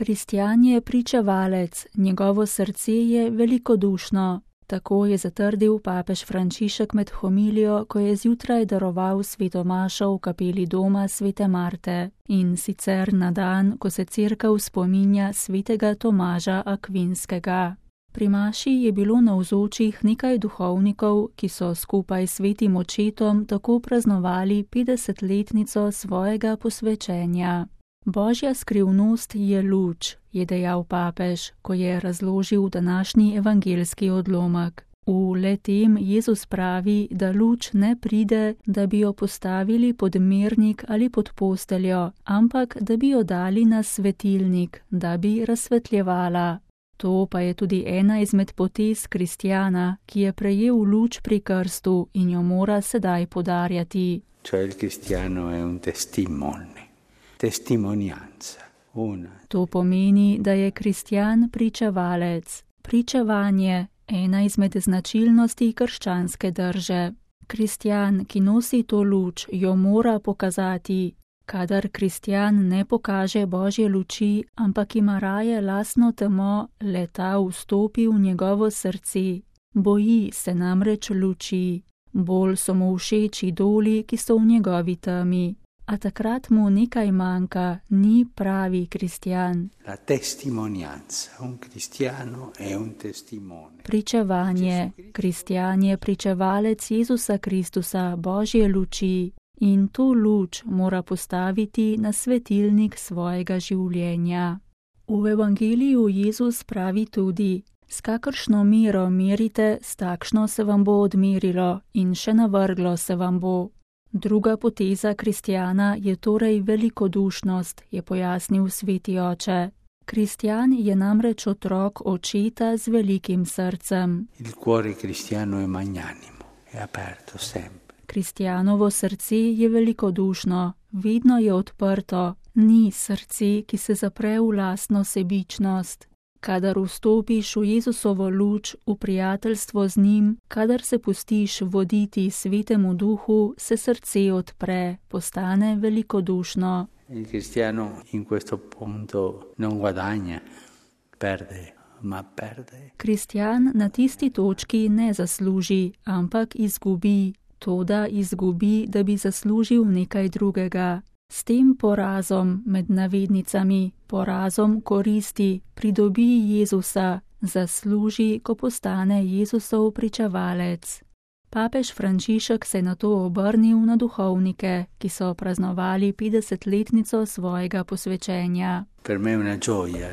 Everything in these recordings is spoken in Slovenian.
Kristjan je pričevalec, njegovo srce je velikodušno. Tako je zatrdil papež Frančišek med homilijo, ko je zjutraj daroval sveto mašo v kapeli doma svete Marte, in sicer na dan, ko se cerkev spominja svetega Tomaža Akvinskega. Pri maši je bilo navzočih nekaj duhovnikov, ki so skupaj s svetim očetom tako praznovali 50-letnico svojega posvečenja. Božja skrivnost je luč, je dejal papež, ko je razložil današnji evangeljski odlomek. V le-tem Jezus pravi, da luč ne pride, da bi jo postavili pod mernik ali pod posteljo, ampak da bi jo dali na svetilnik, da bi razsvetljevala. To pa je tudi ena izmed potez kristjana, ki je prejel luč pri krstu in jo mora sedaj podarjati. Cioè il cristiano è un testimone, testimonianza. To pomeni, da je kristjan pričevalec. Pričevanje, ena izmed značilnosti krščanske drže. Kristjan, ki nosi to luč, jo mora pokazati. Kadar kristjan ne pokaže Božje luči, ampak ima raje lastno temo, le-ta vstopi v njegovo srce. Boji se namreč luči. Bolj so mu všeč idoli, ki so v njegovi temi. A takrat mu nekaj manjka, ni pravi kristjan. La testimonianza, un cristiano è un testimone. Pričevanje, kristjan je pričevalec Jezusa Kristusa, Božje luči. In to luč mora postaviti na svetilnik svojega življenja. V evangeliju Jezus pravi tudi: s kakršno mero merite, s takšno se vam bo odmerilo in še navrglo se vam bo. Druga poteza kristjana je torej velikodušnost, je pojasnil sveti oče. Kristjan je namreč otrok očeta z velikim srcem. Il cuore cristiano è magnanimo, è aperto sempre. Kristjanovo srce je velikodušno, vedno je odprto, ni srce, ki se zapre v lastno sebičnost. Kadar vstopiš v Jezusovo luč, v prijateljstvo z njim, kadar se pustiš voditi svetemu duhu, se srce odpre, postane velikodušno. Il cristiano in questo punto non guadagna, perde, ma perde. Kristjan na tisti točki ne zasluži, ampak izgubi. Toda izgubi, da bi zaslužil nekaj drugega. S tem porazom, med navednicami, porazom koristi, pridobi Jezusa, zasluži, ko postane Jezusov pričevalec. Papež Frančišek se je nato obrnil na duhovnike, ki so praznovali 50-letnico svojega posvečenja. Per me è una gioia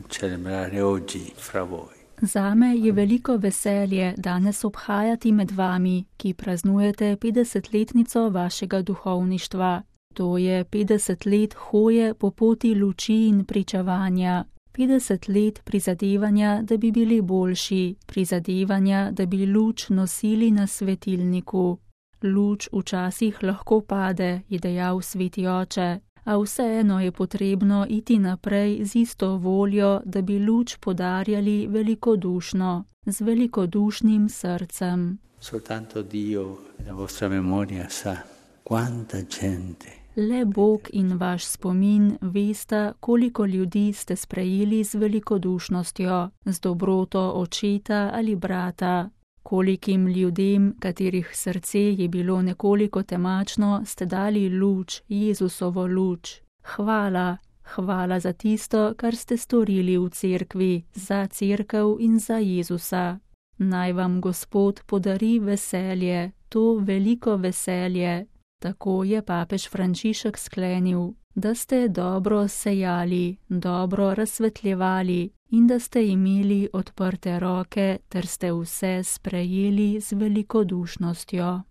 celebrare oggi fra voi. Zame je veliko veselje danes obhajati med vami, ki praznujete 50-letnico vašega duhovništva. To je 50 let hoje po poti luči in pričevanja, 50 let prizadevanja, da bi bili boljši, prizadevanja, da bi luč nosili na svetilniku. Luč včasih lahko pade, je dejal sveti oče, a vseeno je potrebno iti naprej z isto voljo, da bi luč podarjali velikodušno, z velikodušnim srcem. Soltanto Dio, la vostra memoria sa quanta gente. Le Bog in vaš spomin vesta, koliko ljudi ste sprejeli z velikodušnostjo, z dobroto očeta ali brata. Kolikim ljudem, katerih srce je bilo nekoliko temačno, ste dali luč, Jezusovo luč. Hvala, hvala za tisto, kar ste storili v cerkvi, za cerkev in za Jezusa. Naj vam Gospod podari veselje, to veliko veselje. Tako je papež Frančišek sklenil, da ste dobro sejali, dobro razsvetljevali in da ste imeli odprte roke ter ste vse sprejeli z velikodušnostjo.